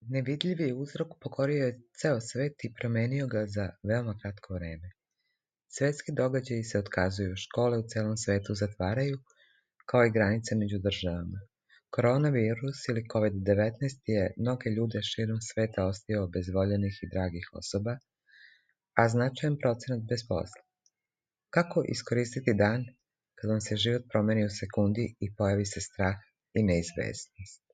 Nevidljivi uzrok pokorio je ceo svet i promenio ga za veoma kratko vreme. Svetski događaji se otkazuju, škole u celom svetu zatvaraju, kao i granice među državama. Koronavirus ili COVID-19 je mnoge ljude širom sveta ostavio bez voljenih i dragih osoba, a značajan procenat bez posla. Kako iskoristiti dan kad vam se život promeni u sekundi i pojavi se strah i neizvesnost?